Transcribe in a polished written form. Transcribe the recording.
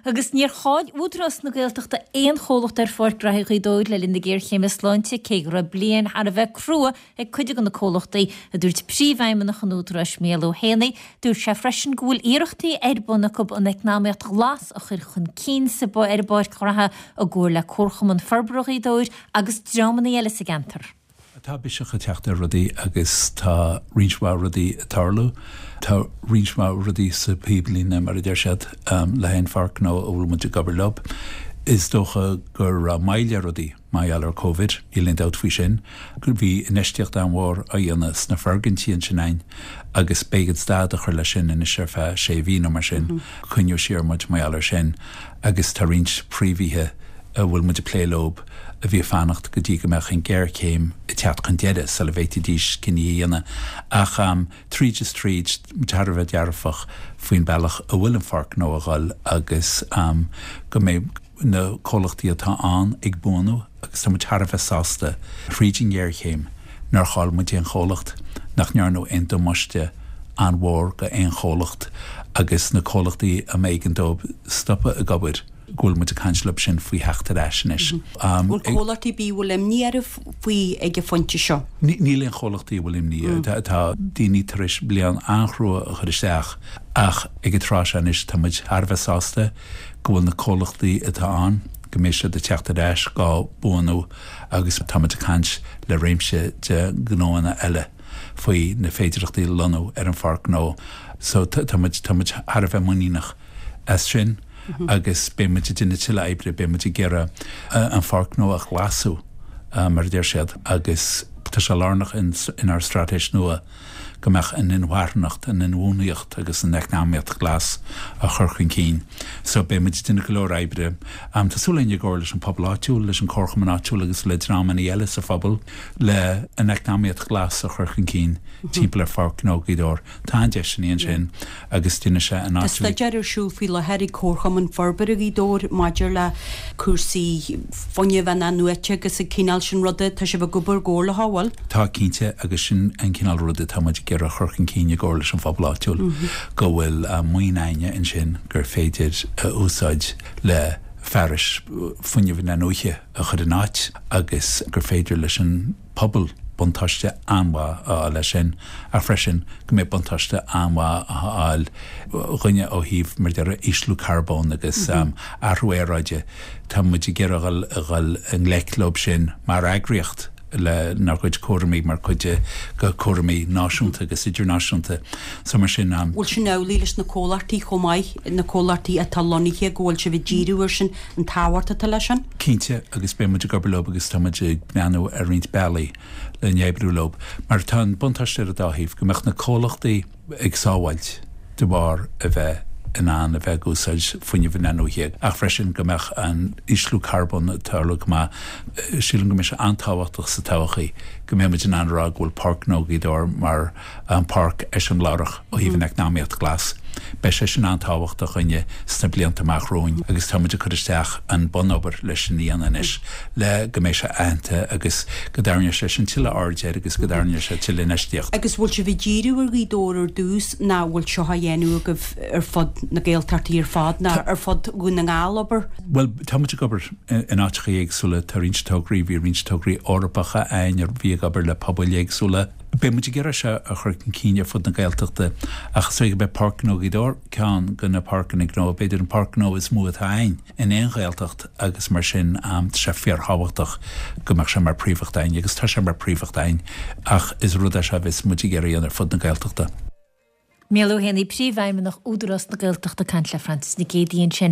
Agus níor chaill Údarás na Gaeltachta aon chomhlacht ar Pháirc Ghraithe Ghaoth Dobhair le linn na géarchéime sláinte, cé go raibh bliain thar a bheith crua ag cuid de na comhlachtaí, a dúirt Príomhfheidhmeannach an Údaráis, Mícheál Ó hÉanaí. Dúirt sé freisin go bhfuil iarrachtaí ar bun acu an eacnamaíocht ghlas a chur chun cinn sa ar an bPáirc Ghraithe i gcomhar le Comharchumann Forbartha Ghaoth Dobhair agus dreamanna eile sa gceantar. Tá biseach ag teacht ar rudaí agus tá roinnt mhaith rudaí ag tarlú. Tá roinnt mhaith rudaí sa phíblíne, mar a deir siad, le haghaidh an Pháirc Ghnó a bhfuil muid ag obair leo. Is dócha go raibh moill ar rudaí mar gheall ar Covid, níl aon dabht faoi sin. Bhí infheistíocht an-mhór á dhéanamh sna foirgintí ansin againn agus b'éigean stad a chur leis sin anois ar feadh sé mhí nó mar sin. Coinníodh siar muid mar gheall air sin agus tá roinnt príomhaithe a bhfuil muid ag plé leo a bhí ag fanacht go dtí go mbeadh an ghéarchéim ag teacht chun deireadh sula bhféadfaidís cinní a dhéanamh. Ach tríd is tríd, muid thar a bheith dearfach faoin bealach a bhfuil an Pháirc Ghnó a dhul agus go mbeidh na comhlachtaí atá ann ag buanú agus tá muid thar a bheith sásta thríd an ngéarchéim nár chaill muid aon chomhlacht, nach ndearnadh aon damáiste an-mhór go aon chomhlacht agus na comhlachtaí a mb'éigean dóibh stopadh ag obair. go bhfuil muid ag caint leo sin faoi theacht ar ais anois. Bhfuil comhlachtaí ar bith a bhfuil imní orthu faoi ag an phointe seo? Níl aon chomhlachtaí a bhfuil imní. Tá daoine tar éis bliain an-chrua a chur isteach ach ag an tráth seo anois tá muid thar a bheith sásta go bhfuil na comhlachtaí atá ann, go mbeidh siad ag teacht ar ais dhá buanú agus tá muid ag caint le réimse de ghnóanna eile faoi na féidearthachtaí lonnú ar an Pháirc Ghnó. So tá muid, tá muid thar a bheith muiníneach. as sin agus beidh muid ag déanamh tuilleadh oibre, beidh muid ag iarraidh an Pháirc Ghnó a ghlasú, mar a deir siad, agus tá sé lárnach inár straitéis nua go mbeadh an inmharthanacht, an inbhuanaitheacht agus an eacnamaíocht ghlas á chur chun cinn. So beidh muid ag déanamh go leor oibre. Tá súil againn i gcomhar leis an pobal áitiúil, leis an comharchumann áitiúil agus le dreamanna eile sa phobal le an eacnamaíocht ghlas a chur chun cinn timpeall ar Pháirc Ghnó Ghaoth Dobhair. Tá an-deiseanna ansin agus déanfaidh sé an áit. Tá staidéar ar siúl faoi láthair ag Comharchumann Forbartha Ghaoth Dobhair maidir le cúrsaí fuinnimh in-athnuaite agus an cineál sin ruda. Tá sibh ag obair i gcomhar leo, an bhfuil? Tá, cinnte, agus sin an cineál ruda atá muid ag iarraidh a chur chun cinn i gcomhar leis an phobal áitiúil, go bhfuil maoin againne ansin gur féidir a úsáid le fearais fuinnimh in-athnuaite a chur in áit agus gur féidir leis an pobal buntáiste an-mhaith a fháil as sin ach freisin go mbeidh buntáiste an-mhaith á fháil againne ó thaobh, mar a déarfá, ísliú carbóin agus athrú aeráide. Tá muid ag iarraidh a dhul a dhul i ngleic leo sin mar eagraíocht lenár gcuid cúraimí mar chuid de chúraimí náisiúnta agus idirnáisiúnta. So mar sin. Bhfuil sin amhlaidh leis na comhlachtaí chomh maith, na comhlachtaí atá lonnaithe, go bhfuil sibh ag díriú air sin, an tábhacht atá leis sin? Cinnte, agus beidh muid ag obair leo agus tá muid ag breathnú ar roinnt bealaí le n-oibriú leo. Mar tá an buntáiste ar an dá thaobh, go mbeadh na comhlachtaí ag sábháilt de bharr a bheith in ann a bheith ag úsáid fuinneamh in-athnuaithe ach freisin go mbeadh an ísliú carbóin ag tarlú go maith. Sílim go mbeidh sé an-tábhachtach sa todhchaí go mbeidh muid in ann a rá go bhfuil Páirc Ghnó Ghaoth Dobhair mar an páirc eiseamláireach ó thaobh an eacnamaíocht ghlas. Beidh sé sin an-tábhachtach dhúinne sna blianta amach romhainn agus tá muid ag cur isteach an bunobair leis sin a dhéanamh anois le go mbeidh sé aitheanta agus go dtarraingeoidh sé sin tuilleadh aird air agus go dtarraingeoidh sé tuilleadh infheistíocht. Agus bhfuil sibh ag díriú ar Ghaoth Dobhair ar dtús ná bhfuil seo á dhéanamh agaibh ar fud na Gaeltachtaí ar fad ná ar fud Dhún na nGall, abair? Bhuel, tá muid ag obair in áiteacha éagsúla, tá roinnt tograí, bhí roinnt tograí Eorpacha againn a bhí ag obair le pobail éagsúla. Beidh muid ag iarraidh seo a chur chun cinn ar fud na Gaeltachta ach is dóigh gurb é Páirc Ghnó Ghaoth Dobhair ceann de na páirceanna gnó, b'fhéidir an páirc gnó is mó atá againn in aon Ghaeltacht agus mar sin tá sé fíorthábhachtach go mbeadh sé mar phríomhacht againn agus tá sé mar phríomhacht againn ach is rud é seo a bheas muid ag iarraidh a dhéanamh ar fud na Gaeltachta. Mícheál Ó hÉanaí, Príomhfheidhmeannach Údarás na Gaeltachta ag caint le Frances Nic Géadaigh ansin.